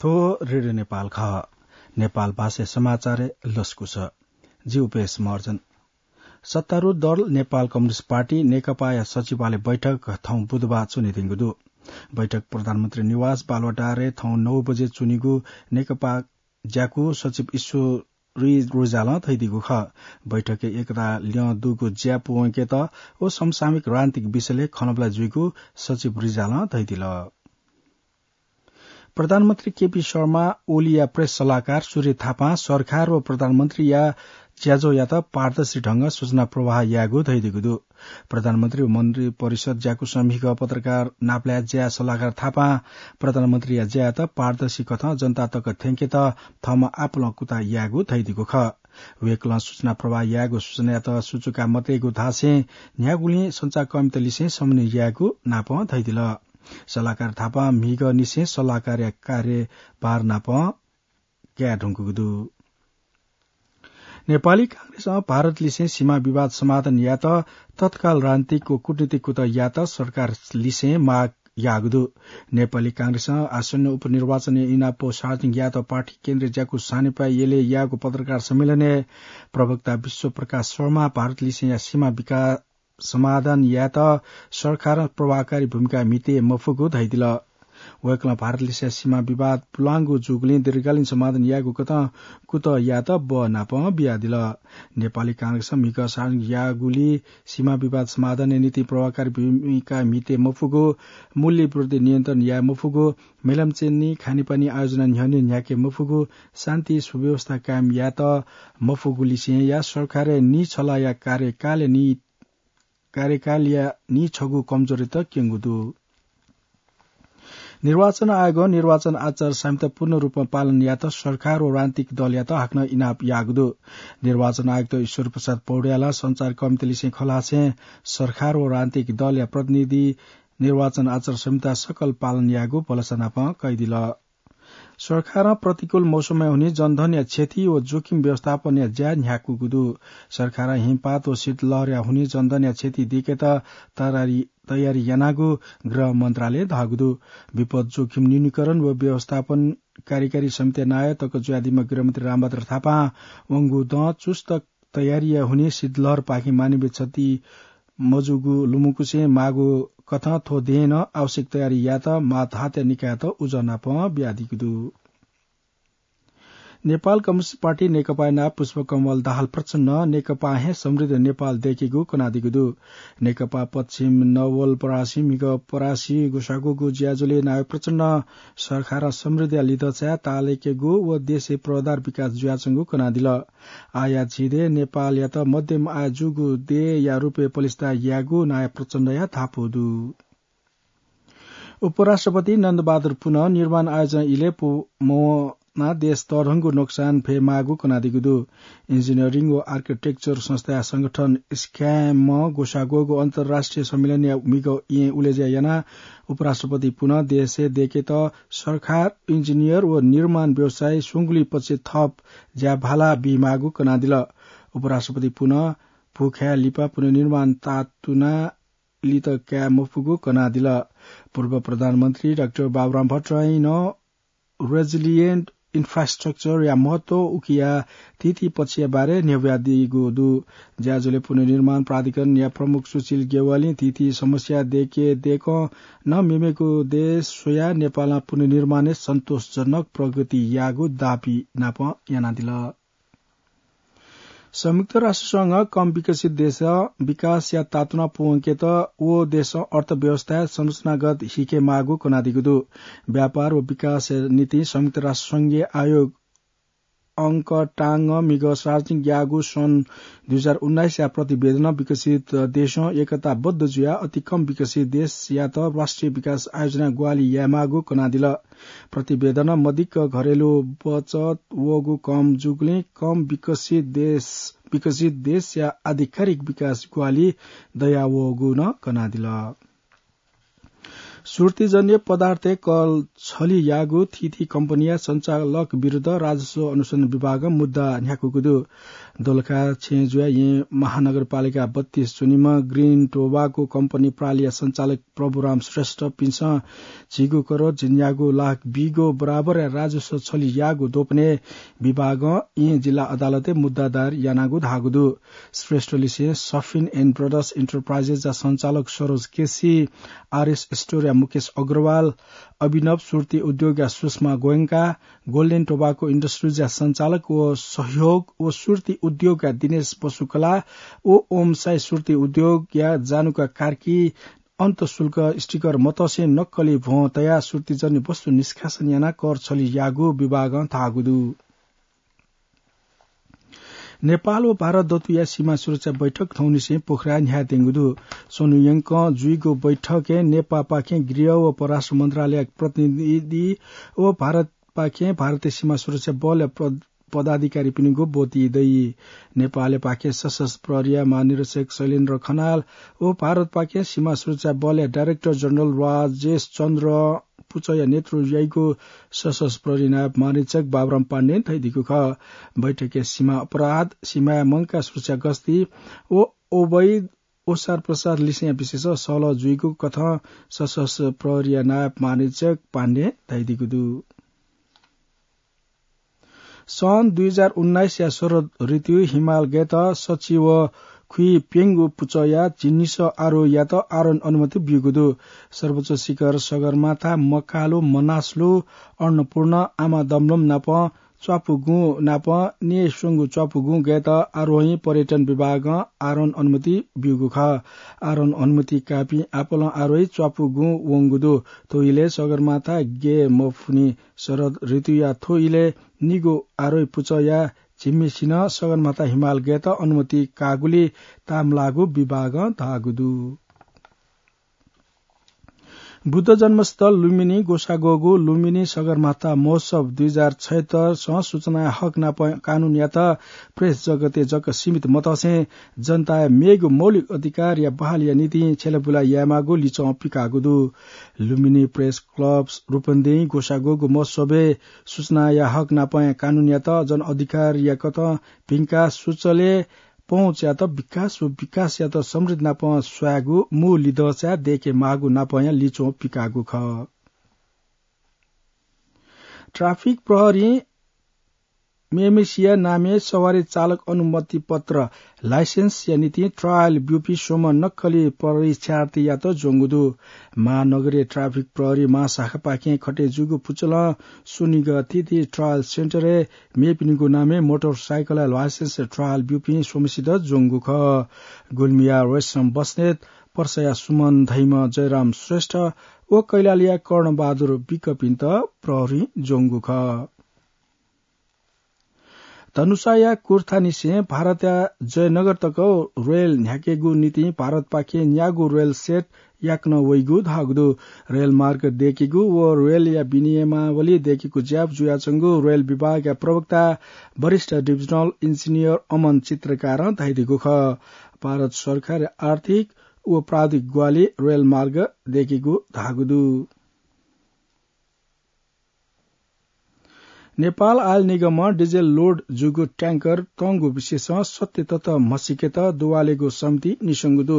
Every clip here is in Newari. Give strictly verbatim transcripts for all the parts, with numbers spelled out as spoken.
थ्व रेडियो नेपाल खः। नेपाल भाषाय् समाचारय् लसकुस। जि उपेश महर्जन। सत्तारूढ दल नेपाल कम्युनिस्ट पार्टी नेकपाया सचिवालय बैठक थौं बुधबार च्वनेधुंगु दु। बैठक प्रधानमन्त्री निवास बालुवाटारय् थौं नौ बजे च्वनीगु नेकपा ज्याकू सचिव ईश्वरी रिजालं धयादीगु खः। बैठकय् एकता ल्यं दुगु ज्या पूवंकेत व समसामयिक राजनीतिक विषयलय् खँल्हाबल्हा जुइगु सचिव रिजालं धयादिल। प्रधानमन्त्री केपी शर्मा ओलीया प्रेस सल्लाहकार सूर्य थापां सरकार व प्रधानमन्त्रीया ज्याझ्वःयात पारदर्शी ढंगं सूचना प्रवाह यायेगु धयादीगु दु। प्रधानमन्त्री व मन्त्री परिषद ज्याकुसं म्हिगः पत्रकार नापलाये ज्या सल्लाहकार थापां प्रधानमन्त्रीया ज्यायात पारदर्शी कथं जनता तक थ्यंकेत थःम्हं आपालं कुतः यायेगु धयादीगु खः। वय्कलं सूचना प्रवाह यायेगु सूचनायात सुचुका मतयेगु धासें न्ह्यागुलिं सञ्चारकर्मीत लिसें समन्वय यायेगु नापं धयादिल। सल्लाहकार थापां म्हिगःनिसें सल्लाहकारया कार्यभार नापं काये धुंकूगु दु। नेपाली कांग्रेसं भारतलिसें सीमा विवाद समाधान यायेत तत्काल राजनीतिक व कूटनीतिक कुतः यायेत सरकारलिसें माग याःगु दु। नेपाली कांग्रेसं आसन्न उपनिर्वाचनया इनाप सार्वजनिक यायेत पार्टी केन्द्रीय ज्याकू सानेपाय् यलय् याःगु पत्रकार सम्मेलनय् प्रवक्ता विश्वप्रकाश शर्मा भारतलिसेंया सीमा विका-, समाधान यायेत सरकारं प्रभावकारी भूमिका म्हिते मफुगु धयादिल। वय्कलं भारतलिसेंया सीमा विवाद पुलांगु जूगुलिं दीर्घकालीन समाधान यायेगु कथं कुतः यायेत बः नापं बियादिल। नेपाली कांग्रेसं म्हिगः सार्वजनिक याःगुलिं सीमा विवाद समाधानया निंतिं प्रभावकारी भूमिका म्हिते मफुगु, मूल्य विरोधी नियन्त्रण याये मफुगु, मेलम्ह च्वनी, खानेपानी आयोजना न्ह्यःने न्ह्याके मफुगु, शान्ति सुव्यवस्था कायम यायेत मफुगुलिसेंया सरकारया निछलाया कार्यकालया नि-, कार्यकालया निछगू कमजोरीत क्यंगु दु। निर्वाचन आयोगं निर्वाचन आचार संहिता पूर्ण रूपमा पालन यायेत सरकार व राजनीतिक दलयात हाकनं इनाप याःगु दु। निर्वाचन आयुक्त ईश्वर प्रसाद पौड्यालं सञ्चारकर्मीतलिसें खँ ल्हासें सरकार व राजनीतिक दलया प्रतिनिधि निर्वाचन आचार संहिता सकल पालन यायेगु भलसा नापं कयादिल। सरकारं प्रतिकूल मौसमय् हुने जनधनया क्षति व जोखिम व्यवस्थापनया ज्या न्ह्याकूगु दु। सरकारं हिमपात व शीतलहरया हुने जनधनया क्षति दय्केत तयारी, तयारी यानागु गृह मन्त्रालयं धाःगु दु। विपद जोखिम न्यूनीकरण व व्यवस्थापन कार्यकारी समितिया नायः तक जुयादीम्ह गृहमन्त्री रामभद्र थापां वंगु दँ चुस्त तयारीया हुने शीतलहरपाखें मानवीय क्षति मजूगु लुमंकुसें माःगु कथं थ्व दँय् नं आवश्यक तयारी यायेत मातहतया निकायत उजं नापं बियादीगु दु। नेपाल कम्युनिस्ट पार्टी नेकपाया नायः पुष्पकमल दाहाल प्रचण्डं नेकपां हे समृद्ध नेपाल दय्केगु कनादीगु दु। नेकपा पश्चिम नवलपरासी म्हिगः परासी ग्वसाग्वःगु ज्याझ्वलय् नायः प्रचण्डं सरकारं समृद्धिया लिधचाय् ताःलाकेगु व देशय् पूर्वाधार विकास जुयाच्वंगु कनादिल। आयात झिंदँय् नेपालयात मध्यम आय जूगु देय्‌या रूपय् पलिस्था यायेगु नायः प्रचण्डया धापू दु। उपराष्ट्रपति नन्दबहादुर पुनं निर्माण आयोजना इलय् पु-, मवनाः देश तःधंगु नोक्सान फयेमाःगु कनादीगु दु। इन्जिनियरिङ व आर्किटेक्चर संस्थाया संगठन स्क्यामं ग्वसाग्वःगु अन्तर्राष्ट्रिय सम्मेलनया म्हिगः येँ उलेज्या यानाः उपराष्ट्रपति पुनं देशय् दय्केत सरकार, इन्जिनियर व निर्माण व्यवसायी स्वंगुलिं पक्षय् थप ज्याभाला बीमाःगु कनादिल। उपराष्ट्रपति पुनं भूखाय् लिपा पुनर्निर्माण तातुना लित काये मफुगु कनादिल। पूर्व प्रधानमन्त्री डाक्टर बाबुराम भट्टराईं नं रेजिलिएन्ट इन्फ्रास्ट्रक्चरया महत्व उकिया थीथी पक्षया बारे न्ह्यब्वयादीगु दु। ज्याझ्वलय् पुनर्निर्माण प्राधिकरणया प्रमुख सुशील गेवालीं थीथी समस्या दय्के दय्कं नं मेमेगु देश स्वयाः नेपालं पुनर्निर्माणय् सन्तोषजनक प्रगति याःगु दाबी नापं यानादिल। संयुक्त राष्ट्र संघं कम विकसित देशं विकासया तातुना पूवंकेत व देशं अर्थव्यवस्थाय् संरचनागत हिकेमाःगु कनादीगु दु। व्यापार व विकासया निंतिं संयुक्त राष्ट्र संघीय आयोग अंकटांगं म्हिगः सार्वजनिक याःगु सन् दुई हजार उन्नाइसया प्रतिवेदनं विकसित देशं एकताबद्ध जुयाः अति कम विकसित देशयात राष्ट्रिय विकास आयोजना ग्वाहालि यायेमाःगु कनादिल। प्रतिवेदनं मदिक्क घरेलु बचत वःगु कम जूगुलिं कम विकसित देश, विकसित देशया आधिकारिक विकास ग्वाहालि दयावःगु नं कनादिल। सुर्तीजन्य पदार्थय् कलछली याःगु थीथी कम्पनीया सञ्चालक विरुद्ध राजस्व अनुसन्धान विभागं मुद्दा न्ह्याकूगु दु। दोलखा छेँ जुया येँ महानगरपालिका बत्तीस च्वनीम्ह ग्रिन टोबाको कम्पनी प्रालिया सञ्चालक प्रभुराम श्रेष्ठपिन्सं झिगू करोड झिंन्यागू लाख बीगो बराबर राजस्व छली याःगु द्वपनय् विभागं येँ जिल्ला अदालतय् मुद्दा दायर यानागु धाःगु दु। श्रेष्ठलिसें सफिन एन्ड ब्रदर्स इन्टरप्राइजेसया सञ्चालक सरोज केसी, आरएस स्टोरया मुकेश अग्रवाल, अभिनव सुर्ती उद्योगया सुषमा गोयंका, गोल्डेन टोबाको इन्डस्ट्रिजया सञ्चालक व सहयोग व सुर्ती उद्योगया दिनेश बसुकला व ओम साई सुर्ती उद्योगया जानुका कार्की अन्तशुल्क स्टिकर मतसे नक्कली भ्वं तयाः सुर्तीजन्य वस्तु निष्कासन यानाः कर छली याःगु विभागं धाःगु दु। नेपाल व भारत दतुया सीमा सुरक्षा बैठक थौंनिसें पोखराय् न्ह्यायेत्यंगु दु। स्वन्हु यंकं जुइगु बैठकय् नेपाःपाखें गृह व परराष्ट्र मन्त्रालयया प्रतिनिधि व भारतपाखें भारतीय सीमा सुरक्षा बलया प्र-, पदाधिकारीपिनिगु ब्वति दइ। नेपालपाखें सशस्त्र प्रहरीया महानिरीक्षक शैलेन्द्र खनाल व भारतपाखें सीमा सुरक्षा बलया डाइरेक्टर जनरल राजेश चन्द्र पुचःया नेतृत्व याइगु सशस्त्र प्रहरी नायब महानिरीक्षक बाबुराम पाण्डें धयादीगु खः। बैठकय् सीमा अपराध, सीमाय् मंकाः सुरक्षा गस्ती व अवैध ओसार प्रसार लिसेंया विषयय् सहलह जुइगु कथं सशस्त्र प्रहरीया नायब महानिरीक्षक पाण्डें धयादीगु दु। सन् दुई हजार उन्नाइसया शरद ऋतु हिमाल गय्त सच्छि व खुइप्यंगू पुचःया झिंनिसः आरोहीयात आरोहण अनुमति ब्यूगु दु। सर्वोच्च शिखर सगरमाथा, मकालु, मनासलु, अन्नपूर्ण, आमा दमलम नाप च्वापुगुं नाप न्यय् स्वंगू च्वापुगुं गय्त आरोही पर्यटन विभागं आरोहण अनुमति ब्यूगु खः। आरोहण अनुमति काःपिं आपालं आरोही च्वापुगुं वंगु दु। थ्व इलय् सगरमाथा गय् मफुनि। शरद ऋतुया थ्व इलय् निगू आरोही पुचःया झिम्हेसिनं सगरमाथा हिमाल गय्त अनुमति काःगुलिं ताःमलाःगु विभागं धाःगु दु। बुद्ध जन्मस्थल लुम्बिनी ग्वसाः ग्वःगु लुम्बिनी सगरमाथा महोत्सव दुई हजार छयत्तरसं सूचनाया हक नाप कानूनयात प्रेस जगतय् जक सीमित मतसें जनताया मेगु मौलिक अधिकारया बहालीया निंतिं छ्यलाबुला यायेमाःगु लिच्वः पिकाःगु दु। लुम्बिनी प्रेस क्लब रूपन्देहीं ग्वसाः ग्वःगु महोत्सवय् सूचनाया हक नापं कानूनयात जन अधिकारया कथं भिंकाः सुचलय् पहुँचयात विकास व विकासयात समृद्धि नापं स्वायेगु मू लिधंचाय् दय्केमाःगु नापंया लिच्वः पिकाःगु खः। ट्राफिक प्रहरीं मेम्हेसिया नामय् सवारी चालक अनुमति पत्र, लाइसेन्सया निंतिं ट्रायल ब्यूपिं स्वम्ह नक्कली परीक्षार्थीयात ज्वंगु दु। महानगरीय ट्राफिक प्रहरी महाशाखापाखें खटे जूगु पुचलं स्वनिगः थीथी ट्रायल सेन्टरय् मेपिनिगु नामय् मोटरसाइकलया लाइसेन्स ट्रायल ब्यूपिं स्वम्हसित ज्वंगु खः। गुल्मीया रेशम बस्नेत, पर्साया सुमन धइम्ह जयराम श्रेष्ठ व कैलालीया कर्णबहादुर विकपिन्त प्रहरीं ज्वंगु खः। धनुषाया कुर्थानिसें भारतया जयनगर तक रेल न्ह्याकेगु निंतिं भारतपाखें न्यागू रेल सेट याकनं वइगु धाःगु दु। रेलमार्ग दय्केगु व रेलया विनियमावली दय्केगु ज्या जुयाच्वंगु रेल विभागया प्रवक्ता वरिष्ठ डिभिजनल इन्जिनियर अमन चित्रकारं धयादीगु खः। भारत सरकारया आर्थिक व प्राविधिक ग्वाहालि रेलमार्ग दय्केगु धाःगु दु। नेपाल आयल निगमं डिजेल लोड जूगु ट्याङ्कर तंगु विषयसं सत्य तथ्य म्हसीकेत दुवालेगु समिति निस्वंगु दु।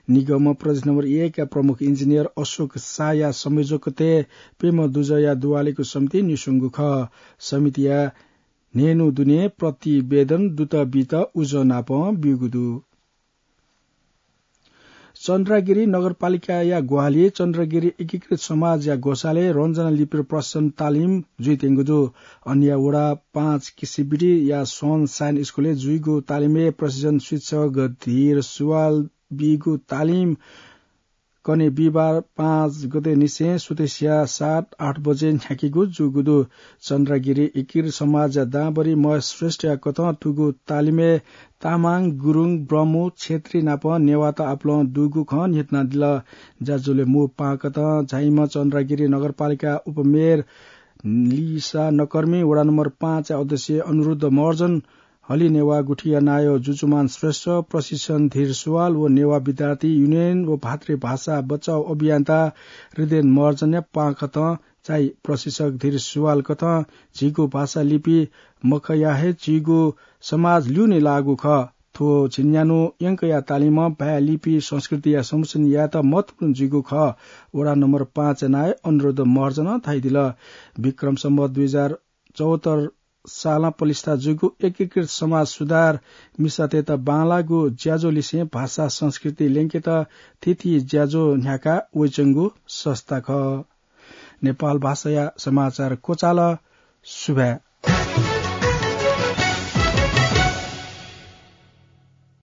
निगमं प्रदेश नम्बर एकया प्रमुख इन्जिनियर अशोक शाहया संयोजकत्वय् प्यम्ह दुजःया दुवालेगु समिति निस्वंगु खः। समितिया न्हय्न्हु दुने प्रतिवेदन दुत बीत उजं नापं ब्यूगु दु। चन्द्रागिरी नगरपालिकाया ग्वाहालिइ चन्द्रागिरी एकीकृत समाजया ग्वसालय् रञ्जना लिपिर प्रशिक्षण तालिम जुइत्यंगु दु। अन्य वडा पाँच किसिबिटीया सनसाइन स्कुलय् जुइगु तालिमय् प्रशिक्षण शिक्षक धीर सुवाल बीगु तालिम कन्हय् बिहिबार पाँच गते निसें सुथसिया सात आठ बजे न्ह्याकेगु जूगु दु। चन्द्रागिरी एकीकृत समाजया दांभरि महेश श्रेष्ठया कथं थुगु तालिमय् तामाङ, गुरुङ, ब्रह्मु, क्षेत्री नाप नेवाःत आपालं दुगु खँ न्ह्यथनादिल। ज्याझ्वलय् मू पाहां कथं झाइम्ह चन्द्रागिरी नगरपालिका उपमेयर लिसा नकर्मी, वडा नम्बर पाँचया अध्यक्ष अनुरुद्ध महर्जन, हलिं नेवाः गुथिया नायः जुजुमान श्रेष्ठ, प्रशिक्षण धीर सुवाल व नेवाः विद्यार्थी युनियन व भातृभाषा बचाउ अभियन्ता हृदयन महर्जनया पाहां कथं भाषाय् प्रशिक्षक धीर सुवाल कथं झीगु भाषा लिपि मखया हे झीगु समाज ल्यूने लाःगु खः। थ्व झिंन्यान्हु यंकया तालिमं भाय् लिपि संस्कृतिया संरक्षण यायेत महत्वपूर्ण जुइगु खः। वडा नम्बर पाँच नायः अनुरुद्ध महर्जनं धयादिल। विक्रम सम्वत दुई हजार चौहत्तर सालं प्रतिष्ठा जूगु एकीकृत समाज सुधार मिसातय्त बांलाःगु ज्याझ्वः लिसें भाषा संस्कृति ल्यंकेत थीथी ज्याझ्वः न्ह्याका वइच्वंगु संस्था खः। नेपाल भाषाया समाचार क्वचाल। सुभाय्।